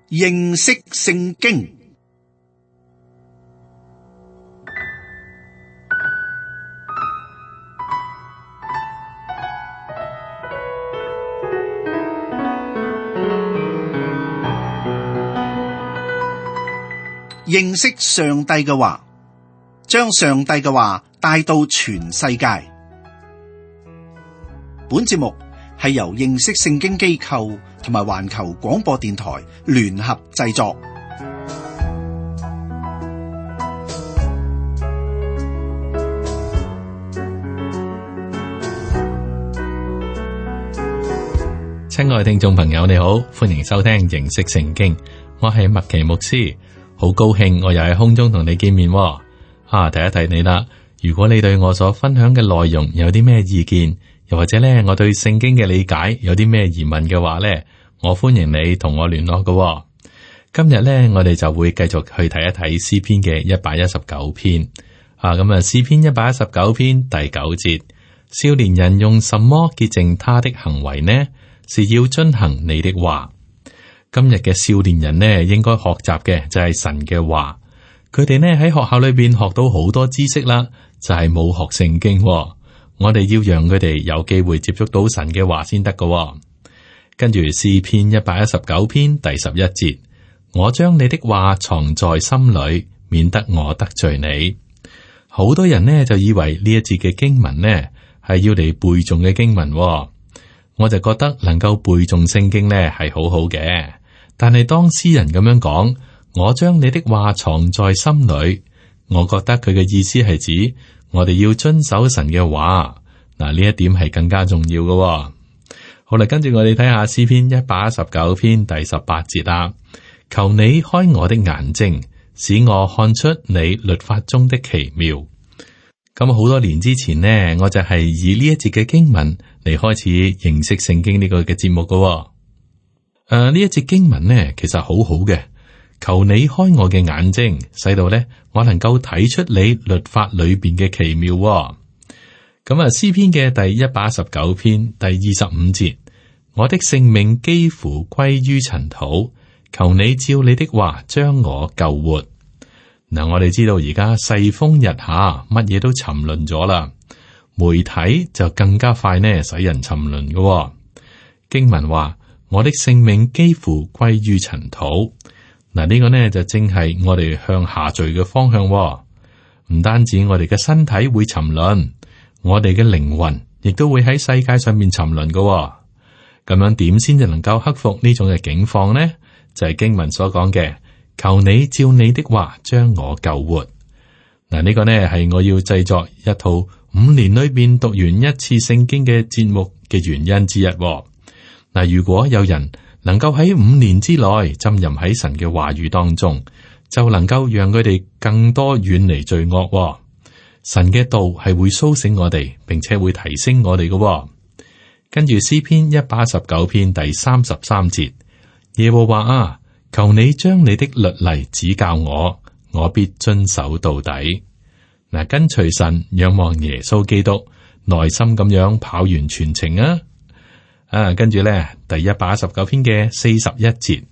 認識聖經。認識上帝嘅話，將上帝嘅話帶到全世界。本節目係由認識聖經機構同埋環球廣播電台聯合製作。親愛聽眾朋友，你好，歡迎收聽認識聖經，我係麥奇牧師，好高興我又喺空中同你見面。提一提你啦，如果你對我所分享嘅內容有啲咩意見，又或者咧我對聖經嘅理解有啲咩疑問嘅話咧，我歡迎你同我聯絡嘅。今日咧我哋就會繼續去睇一睇詩篇嘅119篇。詩篇119篇第9節，少年人用什麼潔淨他的行為呢？是要遵行你的話。今日嘅少年人呢，應該學習嘅就係神嘅話。佢哋呢喺學校裏邊學到好多知識啦，就係冇學聖經。我哋要讓佢哋有機會接觸到神嘅話先得㗎。跟住詩篇119篇第11節，我將你的話藏在心裏，免得我得罪你。好多人呢就以為呢一節嘅經文呢係要嚟背誦嘅經文。我就覺得能夠背誦聖經呢係好好嘅，但係當詩人咁樣講，我將你的話藏在心裏，我覺得佢嘅意思係指我哋要遵守神嘅話。嗱，呢一點係更加重要嘅。好啦，跟住我哋睇下詩篇119篇第18節啦。求你開我的眼睛，使我看出你律法中的奇妙。咁好多年之前呢，我就係以呢一節嘅經文嚟開始認識聖經呢個嘅節目㗎。呢一節經文呢，其實好好嘅。求你開我嘅眼睛，使到呢我能夠睇出你律法裏邊嘅奇妙。詩篇嘅第119篇第25節，我的性命幾乎歸於塵土，求你照你的話將我救活。嗱，我哋知道而家世風日下，乜嘢都沉淪咗啦。媒體就更加快呢，使人沉淪嘅。經文話，我的性命幾乎歸於塵土。嗱，呢個呢就正係我哋向下墜嘅方向。唔單止我哋嘅身體會沉淪，我哋嘅靈魂亦都會喺世界上面沉淪嘅。咁樣點先至能夠克服呢種嘅境況呢？就係經文所講嘅。求你照你的話將我救活。嗱，呢個呢係我要製作一套5年裏邊讀完一次聖經嘅節目嘅原因之一。嗱，如果有人能夠喺5年之內浸淫喺神嘅話語當中，就能夠讓佢哋更多遠離罪惡。神嘅道係會蘇醒我哋，並且會提升我哋嘅。跟住詩篇119篇第33節，耶和華啊，求你將你的律例指教我，我必遵守到底。嗱，跟隨神，仰望耶穌基督，耐心咁樣跑完全程啊！跟住咧，第119篇嘅41節，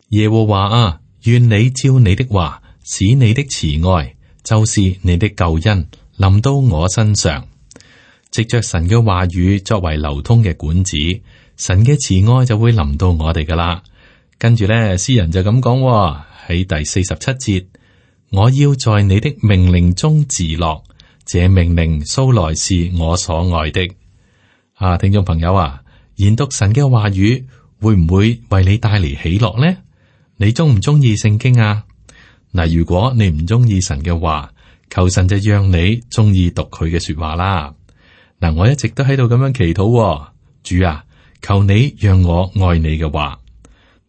耶和華啊，願你照你的話，使你的慈愛，就是你的救恩，臨到我身上。藉着神嘅話語作為流通嘅管子，神嘅慈愛就會臨到我哋噶啦。跟住咧，詩人就咁講喺第47節，我要在你的命令中自樂，這命令素來是我所愛的。聽眾朋友啊，研讀神嘅話語會唔會為你帶嚟喜樂呢？你中唔中意聖經啊？嗱，如果你唔中意神嘅話，求神就讓你中意讀佢嘅說話啦。嗱，我一直都喺度咁樣祈禱，主啊，求你讓我愛你嘅話。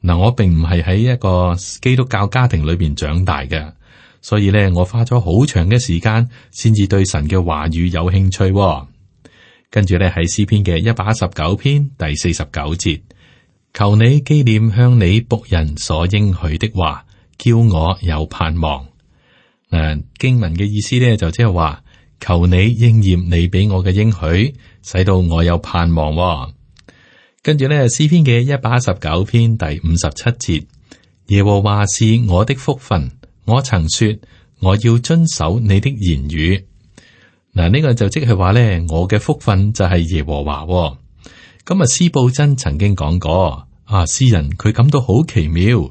嗱，我並唔係喺一個基督教家庭裏邊長大嘅，所以咧，我花咗好長嘅時間先至對神嘅話語有興趣。跟住咧，喺詩篇嘅119篇第49節，求你紀念向你僕人所應許的話，叫我有盼望。經文嘅意思咧就即係話，求你應驗你俾我嘅應許，使到我有盼望。跟住咧，詩篇嘅119篇第57節，耶和華是我的福分，我曾說我要遵守你的言語。嗱，呢個就即係話咧，我嘅福分就係耶和華。咁啊，司布真曾經講過，詩人佢感到好奇妙，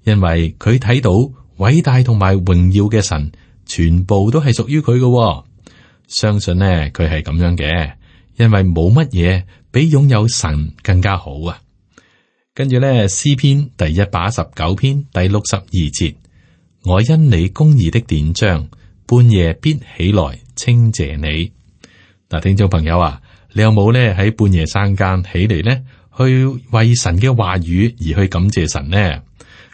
因為佢睇到偉大同埋榮耀嘅神，全部都係屬於佢嘅。相信呢，佢係咁樣嘅，因為冇乜嘢比擁有神更加好啊。跟住咧，詩篇第119篇第62節，我因你公義的典章，半夜必起來稱謝你。嗱，聽眾朋友啊，你有冇咧喺半夜三更起嚟呢，去為神嘅話語而去感謝神呢？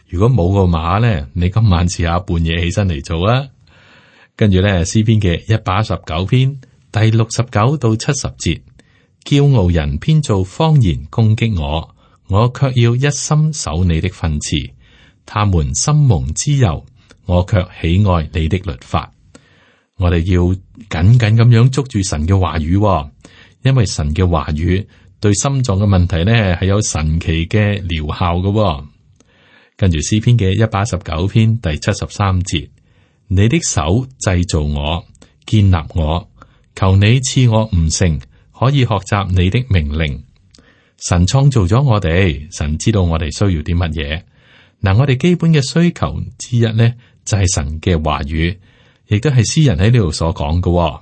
如果冇嘅話咧，你今晚試下半夜起身嚟做啊。跟住咧，詩篇嘅119篇第69到70節，驕傲人編造謊言攻擊我，我卻要一心守你的訓詞。他們心蒙脂油，我卻喜愛你的律法。我哋要緊緊咁樣捉住神嘅話語，因為神嘅話語對心臟嘅問題呢係有神奇嘅療效嘅。跟住詩篇嘅119篇第73節，你的手製造我，建立我，求你賜我悟性，可以學習你的命令。神創造咗我哋，神知道我哋需要啲乜嘢。嗱，我哋基本嘅需求之一呢，就係神嘅話語，亦都係詩人喺呢度所講嘅。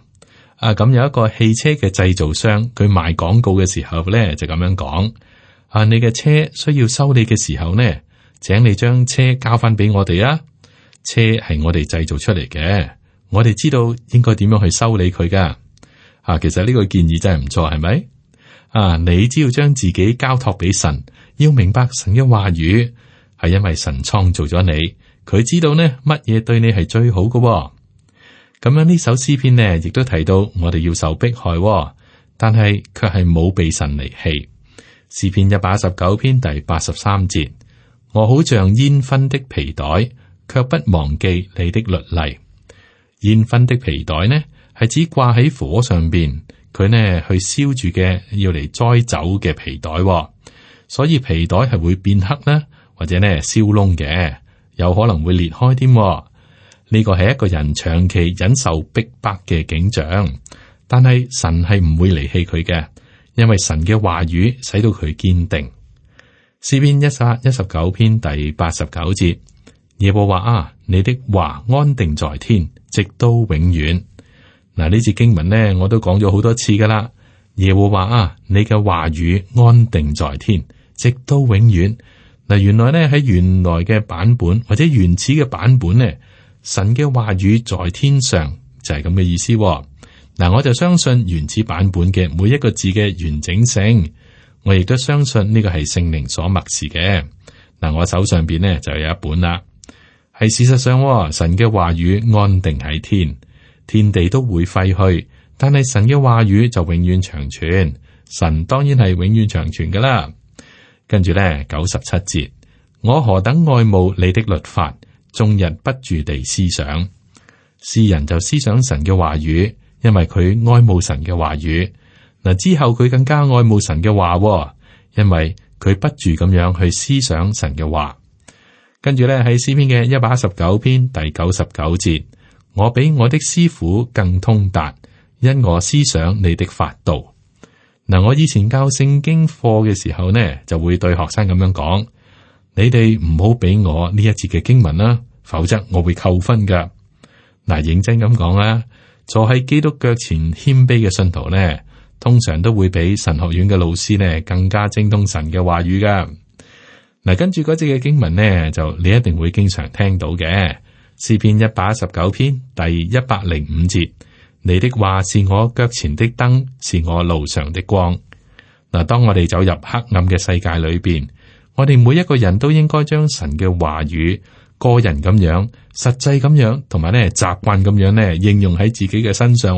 咁有一個汽車嘅製造商，佢賣廣告嘅時候呢，就咁樣講：你嘅車需要修理嘅時候呢，請你將車交翻俾我哋啊。車係我哋製造出嚟嘅，我哋知道應該點樣去修理佢噶。其實呢個建議真係唔錯，係咪？你只要將自己交託俾神，要明白神嘅話語，係因為神創造咗你，佢知道呢乜嘢對你係最好嘅。咁樣呢首詩篇呢，亦都提到我哋要受迫害，但係卻係冇被神離棄。詩篇119篇第83節，我好像煙熏的皮袋，卻不忘記你的律例。煙熏的皮袋呢，係指掛喺火上邊。佢呢去燒住嘅，要嚟栽酒嘅皮袋，所以皮袋係會變黑啦，或者呢燒窿嘅，有可能會裂開添。呢個係一個人長期忍受逼迫嘅景象，但係神係唔會離棄佢嘅，因為神嘅話語使到佢堅定。詩篇119篇第89節，耶和華啊，你的話安定在天，直到永遠。嗱，呢節經文呢，我都講咗好多次噶啦。耶和華啊，你嘅話語安定在天，直到永遠。嗱，原來呢，喺原來嘅版本或者原始嘅版本呢，神嘅話語在天上就係咁嘅意思。嗱，我就相信原始版本嘅每一個字嘅完整性，我亦都相信呢個係聖靈所默示嘅。嗱，我手上邊呢就有一本啦，係事實上，神嘅話語安定喺天。天地都會廢去，但係神嘅話語就永遠長存。神當然係永遠長存噶啦。跟住咧97節，我何等愛慕你的律法，終日不住地思想。詩人就思想神嘅話語，因為佢愛慕神嘅話語。嗱，之後佢更加愛慕神嘅話，因為佢不住咁樣去思想神嘅話。跟住咧喺詩篇嘅119篇第99節。我比我的師傅更通達，因我思想你的法度。嗱，我以前教聖經課嘅時候呢，就會對學生咁樣講：你哋唔好俾我呢一節嘅經文啦，否則我會扣分噶。嗱，認真咁講啦，坐喺基督腳前謙卑嘅信徒呢，通常都會比神學院嘅老師呢更加精通神嘅話語噶。嗱，跟住嗰節嘅經文呢，就你一定會經常聽到嘅。詩篇119篇第105節，你的話是我腳前的燈，是我路上的光。嗱，當我哋走入黑暗嘅世界裏邊，我哋每一個人都應該將神嘅話語個人咁樣、實際咁樣，同埋咧習慣咁樣咧應用喺自己嘅身上。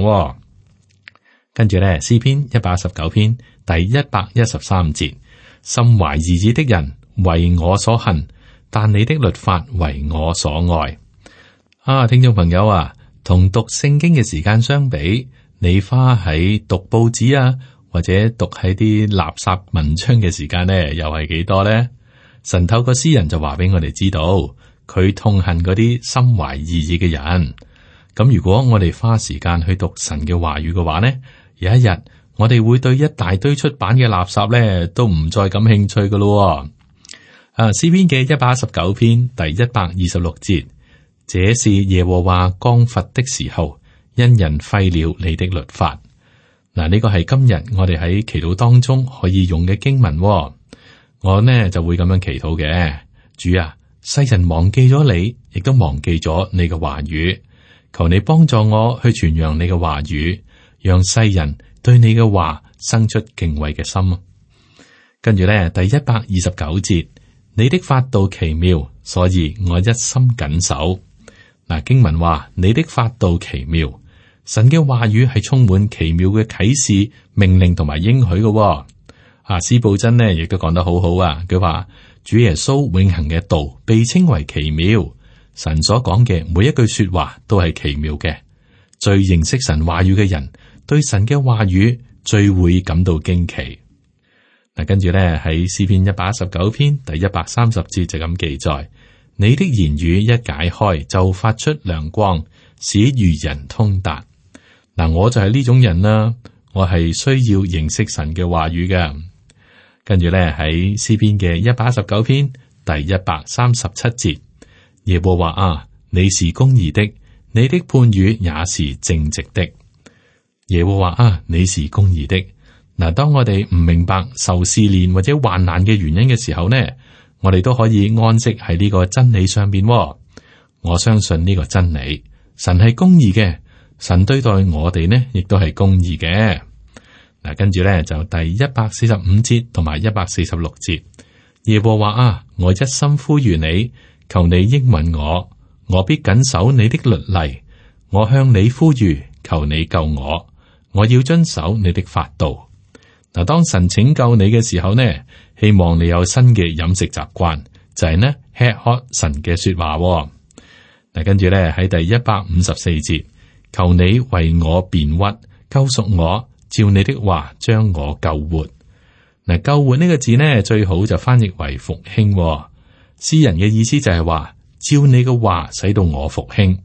跟住咧，詩篇119篇第113節，心懷二意的人為我所恨，但你的律法為我所愛。聽眾朋友啊，同讀聖經嘅時間相比，你花喺讀報紙啊，或者讀喺啲垃圾文章嘅時間呢，又係幾多呢？神透過詩人就話俾我哋知道，佢痛恨嗰啲心懷異意嘅人。咁如果我哋花時間去讀神嘅話語嘅話呢，有一日我哋會對一大堆出版嘅垃圾呢都唔再感興趣噶咯。詩篇嘅119篇第126節，這是耶和華降罰的時候，因人廢了你的律法。嗱，呢個係今日我哋喺祈禱當中可以用嘅經文。我呢就會咁樣祈禱嘅，主啊，世人忘記咗你，亦都忘記咗你嘅話語。求你幫助我去傳揚你嘅話語，讓世人對你嘅話生出敬畏嘅心。跟住咧，第129節，你的法度奇妙，所以我一心謹守。嗱，經文話你的法度奇妙，神嘅話語係充滿奇妙嘅啟示、命令同埋應許嘅。司布真呢亦都講得好好啊，佢話主耶穌永恆嘅道被稱為奇妙。神所講嘅每一句說話都係奇妙嘅，最認識神話語嘅人對神嘅話語最會感到驚奇。嗱，跟住咧喺詩篇119篇第130節就咁記載：你的言語一解開，就發出亮光，使愚人通達。嗱，我就係呢種人啦，我係需要認識神嘅話語嘅。跟住咧喺詩篇嘅119篇第137節。耶和華啊，你是公義的，你的判語也是正直的。耶和華啊，你是公義的。嗱，當我哋唔明白受試煉或者患難嘅原因嘅時候呢，我哋都可以安息喺呢個真理上邊。我相信呢個真理，神係公義嘅，神對待我哋呢，亦都係公義嘅。嗱，跟住咧就第145節同埋146節。耶和華啊，我一心呼籲你。求你應允我，我必謹守你的律例。我向你呼籲，求你救我，我要遵守你的法度。嗱，當神拯救你嘅時候呢，希望你有新嘅飲食習慣，就係呢吃喝神嘅說話。嗱，跟住咧喺第154節，求你為我辯屈，救贖我，照你的話將我救活。嗱，救活呢個字呢，最好就翻譯為復興。詩人嘅意思就係話，照你嘅話使到我復興。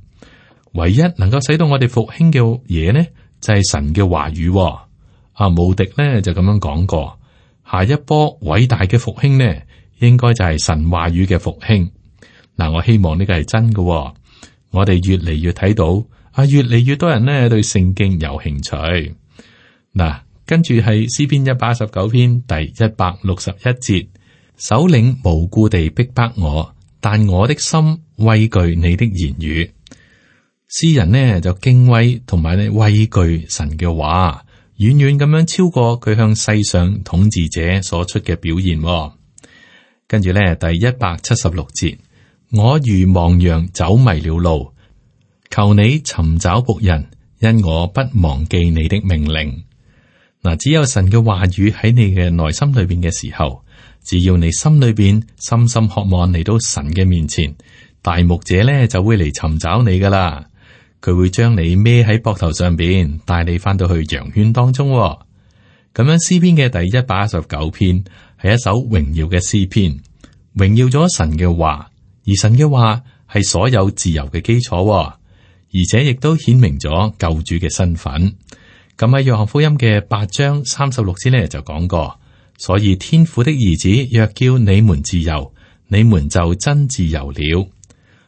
唯一能夠使到我哋復興嘅嘢呢，就係神嘅話語。慕迪呢就咁樣講過，下一波偉大嘅復興呢，應該就係神話語嘅復興。嗱，我希望呢個係真嘅。我哋越嚟越睇到，越嚟越多人呢對聖經有興趣。嗱，跟住係詩篇119篇第161節。首領無故地逼迫我，但我的心畏懼你的言語。詩人呢就敬畏同埋呢畏懼神嘅話，遠遠咁樣超過佢向世上統治者所出嘅表現。跟住呢第176節，我如亡羊走迷了路，求你尋找僕人，因我不忘記你的命令。嗱，只有神嘅話語喺你嘅內心裏邊嘅時候，只要你心裏邊深深渴望嚟到神嘅面前，大牧者咧就會嚟尋找你噶啦。佢會將你孭喺膊頭上邊，帶你翻到去羊圈當中。咁樣詩篇嘅第119篇係一首榮耀嘅詩篇，榮耀咗神嘅話，而神嘅話係所有自由嘅基礎，而且亦都顯明咗救主嘅身份。咁喺約翰福音嘅8章36節咧就講過。所以天父的兒子若叫你們自由，你們就真自由了。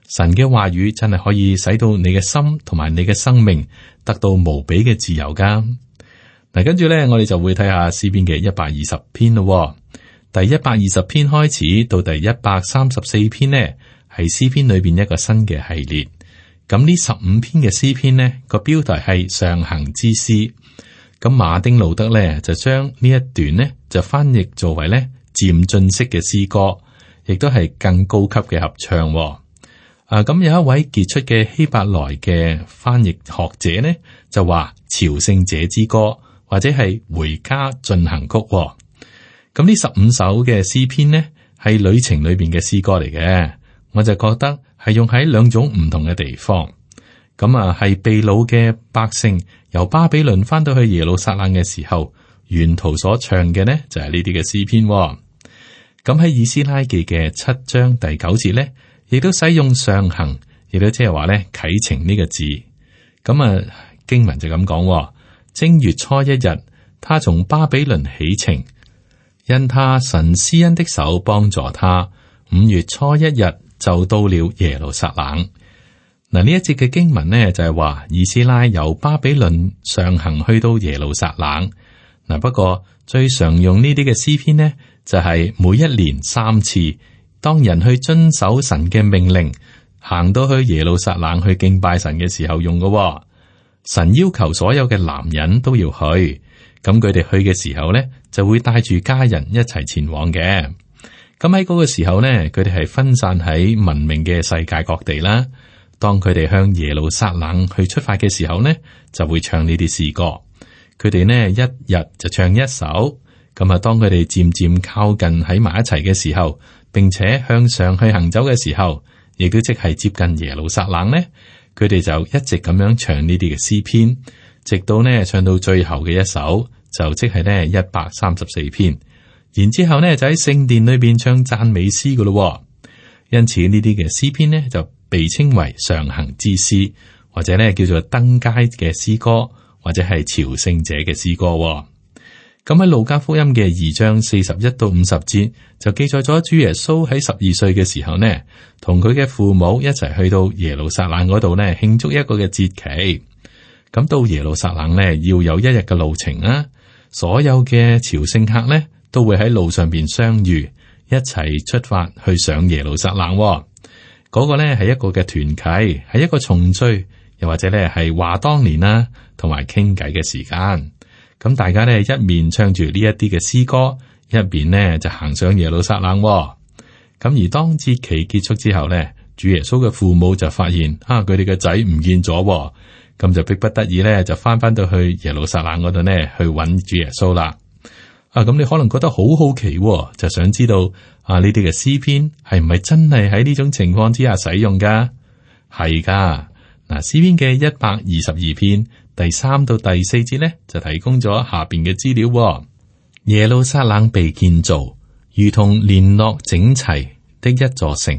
神嘅話語真係可以使到你嘅心同埋你嘅生命得到無比嘅自由噶。嗱，跟住咧，我哋就會睇下詩篇嘅120篇咯。第120篇開始到第134篇呢，係詩篇裏邊一個新嘅系列。咁呢15篇嘅詩篇呢，個標題係上行之詩。咁馬丁路德咧就將呢一段呢就翻譯作為咧漸進式嘅詩歌，亦都係更高級嘅合唱。咁有一位傑出嘅希伯來嘅翻譯學者呢就話朝聖者之歌或者係回家進行曲。咁呢15首嘅詩篇呢係旅程裏邊嘅詩歌嚟嘅，我就覺得係用喺兩種唔同嘅地方。咁係被擄嘅百姓由巴比倫翻到去耶路撒冷嘅時候，沿途所唱嘅呢就係呢啲嘅詩篇。咁喺以斯拉記嘅7章第9節咧，亦都使用上行，亦都即係話咧啟程呢個字。咁啊經文就咁講：正月初一日，他從巴比倫起程，因他神施恩的手幫助他。5月初一日就到了耶路撒冷。嗱，呢一節嘅經文呢，就係話以斯拉由巴比倫上行去到耶路撒冷。嗱，不過最常用呢啲嘅詩篇呢，就係每一年3次，當人去遵守神嘅命令，行到去耶路撒冷去敬拜神嘅時候用嘅。神要求所有嘅男人都要去，咁佢哋去嘅時候呢，就會帶住家人一齊前往嘅。咁喺嗰個時候呢，佢哋係分散喺文明嘅世界各地啦。當佢哋向耶路撒冷去出發嘅時候呢，就會唱呢啲詩歌。佢哋呢一日就唱一首。咁啊，當佢哋漸漸靠近喺埋一齊嘅時候，並且向上去行走嘅時候，亦都即係接近耶路撒冷呢，佢哋就一直咁樣唱呢啲嘅詩篇，直到呢唱到最後嘅一首，就即係呢134篇。然之後呢，就喺聖殿裏邊唱讚美詩噶咯。因此呢啲嘅詩篇呢，就被稱為上行之詩，或者呢叫做登階嘅詩歌，或者係朝聖者嘅詩歌。咁喺路加福音嘅2章41到50節就記載咗主耶穌喺12歲嘅時候呢，同佢嘅父母一齊去到耶路撒冷嗰度呢慶祝一個嘅節期。咁到耶路撒冷呢，要有1日嘅路程啊，所有嘅朝聖客呢，都會喺路上邊相遇，一齊出發去上耶路撒冷。嗰個呢係一個嘅團契，係一個重聚，又或者呢係話當年啦，同埋傾偈嘅時間。咁大家呢一面唱住呢一啲嘅詩歌，一邊呢就行上耶路撒冷。咁而當節期結束之後呢，主耶穌嘅父母就發現佢哋嘅仔唔見咗，咁就迫不得已呢就翻到去耶路撒冷嗰度呢去揾主耶穌啦。咁你可能覺得好好奇，就想知道呢啲嘅詩篇係唔係真係喺呢種情況之下使用噶？係噶。嗱，詩篇嘅122篇第3到第4節呢，就提供咗下邊嘅資料。耶路撒冷被建造，如同聯絡整齊的一座城。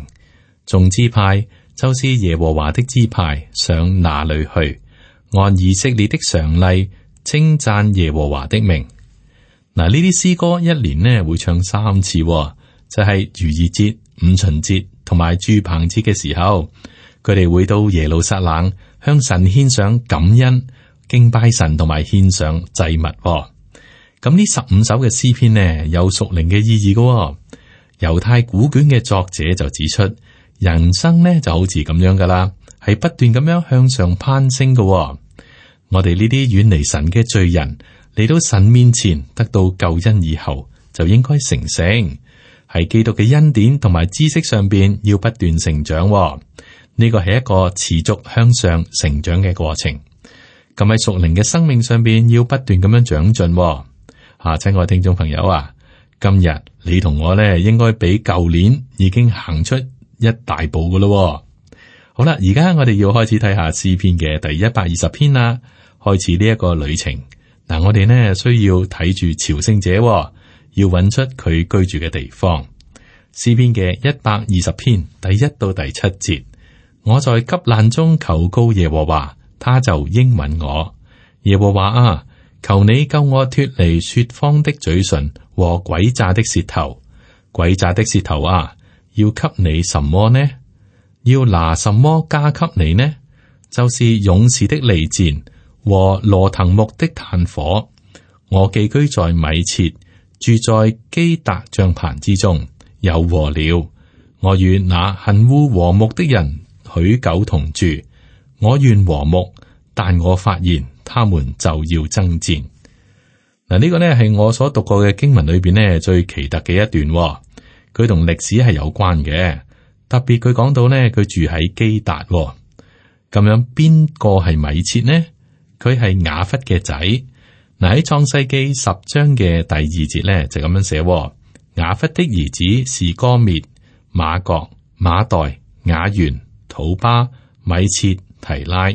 眾支派就是耶和華的支派，上哪裏去？按以色列的常例，稱讚耶和華的名。嗱，呢啲詩歌一年呢會唱3次，就係逾越節、五旬節同埋住棚節嘅時候，佢哋會到耶路撒冷向神獻上感恩、敬拜神同埋獻上祭物。咁呢15首嘅詩篇呢有屬靈嘅意義嘅。猶太古卷嘅作者就指出，人生呢就好似咁樣噶啦，係不斷咁樣向上攀升嘅。我哋呢啲遠離神嘅罪人，嚟到神面前得到救恩以後，就應該成聖，喺基督嘅恩典同埋知識上邊要不斷成長。呢個係一個持續向上成長嘅過程。咁喺屬靈嘅生命上邊要不斷咁樣長進。親愛聽眾朋友啊，今日你同我呢應該比舊年已經行出一大步噶咯。好啦，而家我哋要開始睇下詩篇嘅第120篇啦，開始呢一個旅程。嗱，我哋呢需要睇住朝聖者，要揾出佢居住嘅地方。詩篇嘅120篇第1到第7節，我在急難中求告耶和華，他就應允我。耶和華啊，求你救我脱離說謊的嘴唇和詭詐的舌頭。詭詐的舌頭啊，要給你什麼呢？要拿什麼加給你呢？就是勇士的利箭和羅騰木的炭火。我寄居在米設，住在基達帳棚之中，有禍了。我與那恨惡和睦的人許久同住。我願和睦，但我發現他們就要爭戰。嗱，呢個呢係我所讀過嘅經文裏邊呢最奇特嘅一段。佢同歷史係有關嘅，特別佢講到呢，佢住喺基達。咁樣邊個係米設呢？佢係雅弗嘅仔。嗱，喺創世記10章嘅第2節呢，就咁樣寫：雅弗的兒子是歌滅、瑪各、馬代、雅元、土巴、米設、提拉。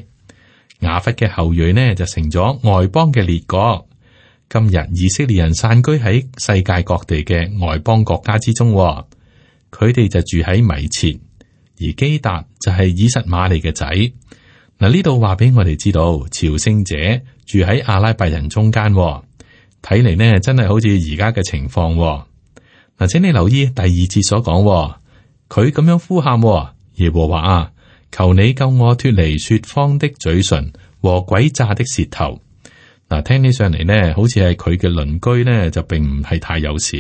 雅弗嘅後裔呢就成咗外邦嘅列國。今日以色列人散居喺世界各地嘅外邦國家之中，佢哋就住喺米設，而基達就係以實瑪利嘅仔。嗱，呢度話俾我哋知道，朝聖者住喺阿拉伯人中間，睇嚟呢真係好似而家嘅情況。嗱，請你留意第二節所講，佢咁樣呼喊，耶和華啊，求你救我脫離說謊的嘴唇和詭詐的舌頭。嗱，聽起上嚟呢，好似係佢嘅鄰居呢，就並唔係太友善。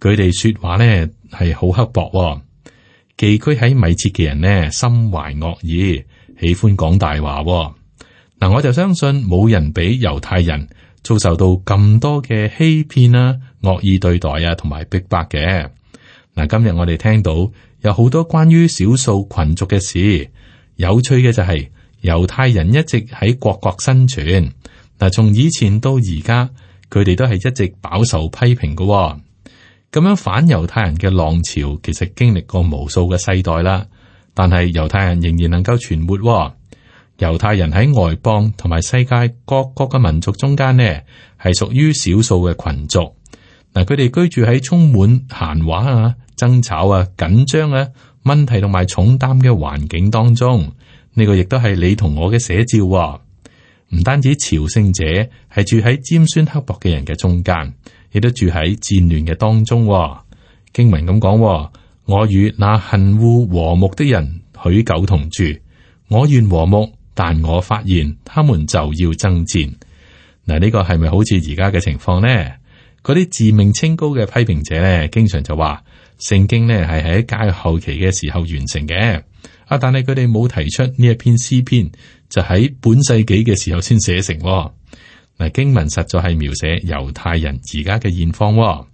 佢哋說話呢係好刻薄，寄居喺米設嘅人呢，心懷惡意，喜歡講大話。嗱，我就相信冇人比猶太人遭受到咁多嘅欺騙啊、惡意對待啊，同埋逼迫嘅。嗱，今日我哋聽到有好多關於少數群族嘅事，有趣嘅就係猶太人一直喺各國生存。嗱，從以前到而家，佢哋都係一直飽受批評嘅。咁樣反猶太人嘅浪潮，其實經歷過無數嘅世代啦。但係猶太人仍然能夠存活。猶太人喺外邦同埋世界各國嘅民族中間呢，係屬於少數嘅群族。嗱，佢哋居住喺充滿閒話啊、爭吵啊、緊張啊、問題同埋重擔嘅環境當中。呢個亦都係你同我嘅寫照。唔單止朝聖者係住喺尖酸刻薄嘅人嘅中間，亦都住喺戰亂嘅當中。經文咁講，我與那恨惡和睦的人許久同住，我願和睦，但我發現他們就要爭戰。嗱，呢個係咪好似而家嘅情況呢？嗰啲自命清高嘅批評者呢，經常就話聖經呢係喺教育後期嘅時候完成嘅。但係佢哋冇提出呢一篇詩篇，就喺本世紀嘅時候先寫成。嗱，經文實在係描寫猶太人而家嘅現況。嗱，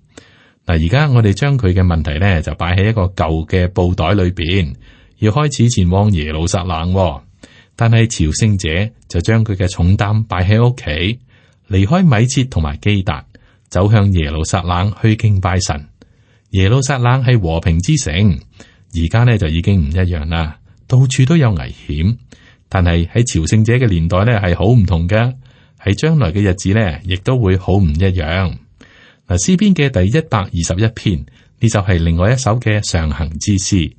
而家我哋將佢嘅問題呢，就擺喺一個舊嘅布袋裏邊，要開始前往耶路撒冷。但係朝聖者就將佢嘅重擔擺喺屋企，離開米設同埋基達，走向耶路撒冷去敬拜神。耶路撒冷係和平之城，而家呢就已經唔一樣啦。到處都有危險，但係喺朝聖者嘅年代呢係好唔同嘅，喺將來嘅日子呢亦都會好唔一樣。嗱，詩篇嘅第121篇呢就係另外一首嘅上行之詩，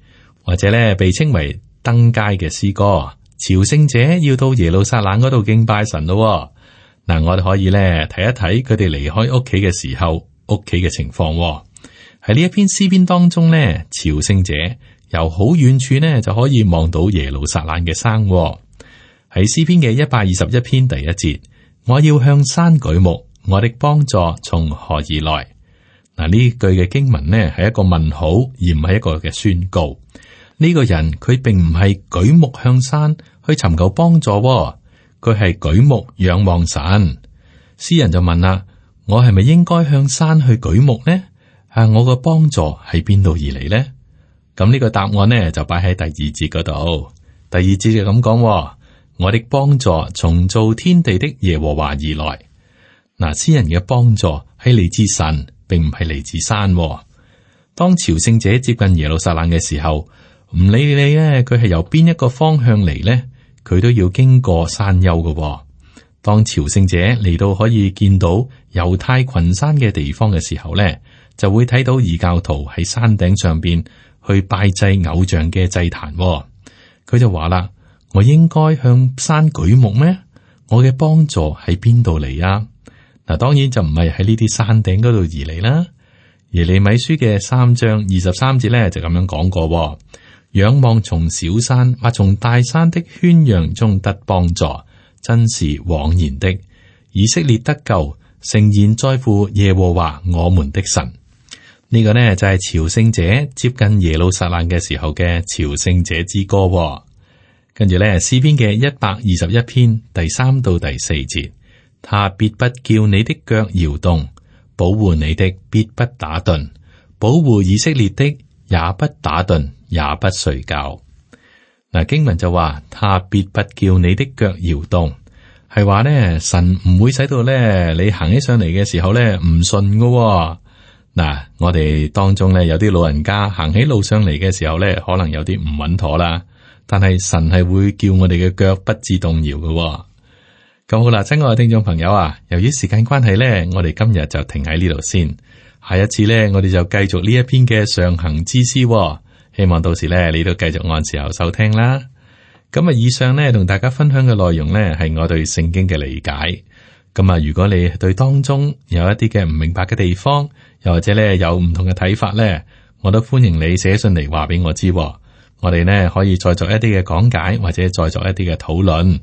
或者呢被稱為登階嘅詩歌。朝聖者要到耶路撒冷嗰度敬拜神咯。嗱，我哋可以呢睇一睇佢哋離開屋企嘅時候，屋企嘅情況。喺呢一篇詩篇當中呢，朝聖者由好遠處呢就可以望到耶路撒冷嘅山。喺詩篇嘅121篇第1節，我要向山舉目，我的幫助從何而來？嗱，呢句嘅經文呢係一個問號，而唔係一個嘅宣告。呢個人佢並唔係舉目向山去尋求幫助，佢係舉目仰望神。詩人就問啦：我係咪應該向山去舉目呢？我個幫助喺邊度而嚟呢？咁呢個答案呢就擺喺第2節嗰度。第2節就咁講：我的幫助從造天地的耶和華而來。嗱，詩人嘅幫助係嚟自神，並唔係嚟自山。當朝聖者接近耶路撒冷嘅時候，唔理你咧，佢係由邊一個方向嚟呢，佢都要經過山丘嘅。當朝聖者嚟到可以見到猶太群山嘅地方嘅時候呢，就會睇到異教徒喺山頂上邊去拜祭偶像嘅祭壇。佢就話啦：我應該向山舉目咩？我嘅幫助喺邊度嚟啊？嗱，當然就唔係喺呢啲山頂嗰度而嚟啦。耶利米書嘅3章23節咧就咁樣講過：仰望從小山或從大山的喧嚷中得幫助，真是枉然的。以色列得救，誠然在乎耶和華我們的神。呢個呢就係朝聖者接近耶路撒冷嘅時候嘅朝聖者之歌。跟住呢，詩篇嘅121篇第3到第4節，他必不叫你的腳搖動，保護你的必不打盹，保護以色列的也不打盹，也不睡覺。嗱，經文就話，他必不叫你的腳搖動，係話呢，神唔會使到呢你行起上嚟嘅時候呢唔順噶。嗱，我哋當中呢有啲老人家行起路上嚟嘅時候呢，可能有啲唔穩妥啦，但係神係會叫我哋嘅腳不致動搖噶。咁好啦，親愛嘅聽眾朋友啊，由於時間關係呢，我哋今日就停喺呢度先。下一次呢，我哋就繼續呢一篇嘅上行之詩。希望到時呢，你都繼續按時候收聽啦。咁啊，以上呢，同大家分享嘅內容呢，係我對聖經嘅理解。咁啊，如果你對當中有一啲嘅唔明白嘅地方，又或者呢有唔同嘅睇法呢，我都歡迎你寫信嚟話俾我知。我哋呢可以再作一啲嘅講解，或者再作一啲嘅討論。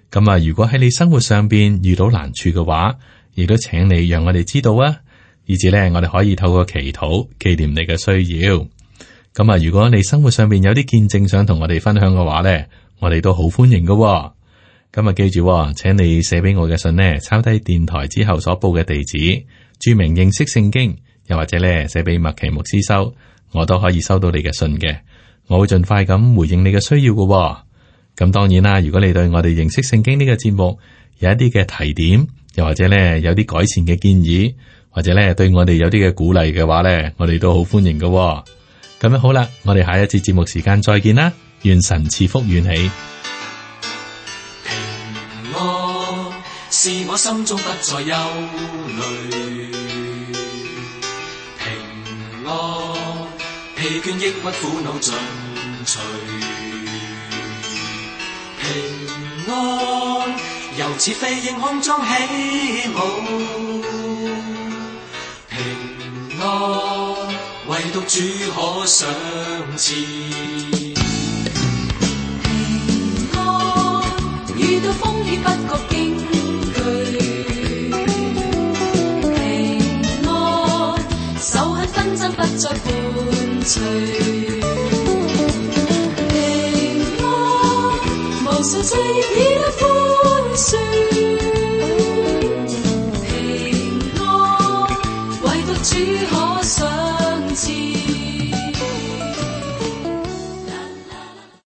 咁啊，如果喺你生活上邊遇到難處嘅話，亦都請你讓我哋知道啊，以至咧我哋可以透過祈禱紀念你嘅需要。咁啊，如果你生活上邊有啲見證想同我哋分享嘅話咧，我哋都好歡迎㗎。咁啊，記住，請你寫俾我嘅信呢，抄低電台之後所報嘅地址，注明認識聖經，又或者咧寫俾麥奇牧師收，我都可以收到你嘅信嘅。我會盡快咁回應你嘅需要㗎。咁當然啦，如果你對我哋認識聖經呢個節目有一啲嘅提點，又或者咧有啲改善嘅建議，或者咧對我哋有啲嘅鼓勵嘅話咧，我哋都好歡迎嘅。咁樣好啦，我哋下一次節目時間再見啦，願神賜福與你。平安是我心中不再憂慮，平安疲倦抑鬱苦惱盡除。平安，猶似飛鷹空中起舞。平安，唯獨主可賞賜。平安，遇到風險不覺驚懼。平安，仇恨紛爭不再伴隨。無數罪孽已得寬恕，平安，唯獨主可賞。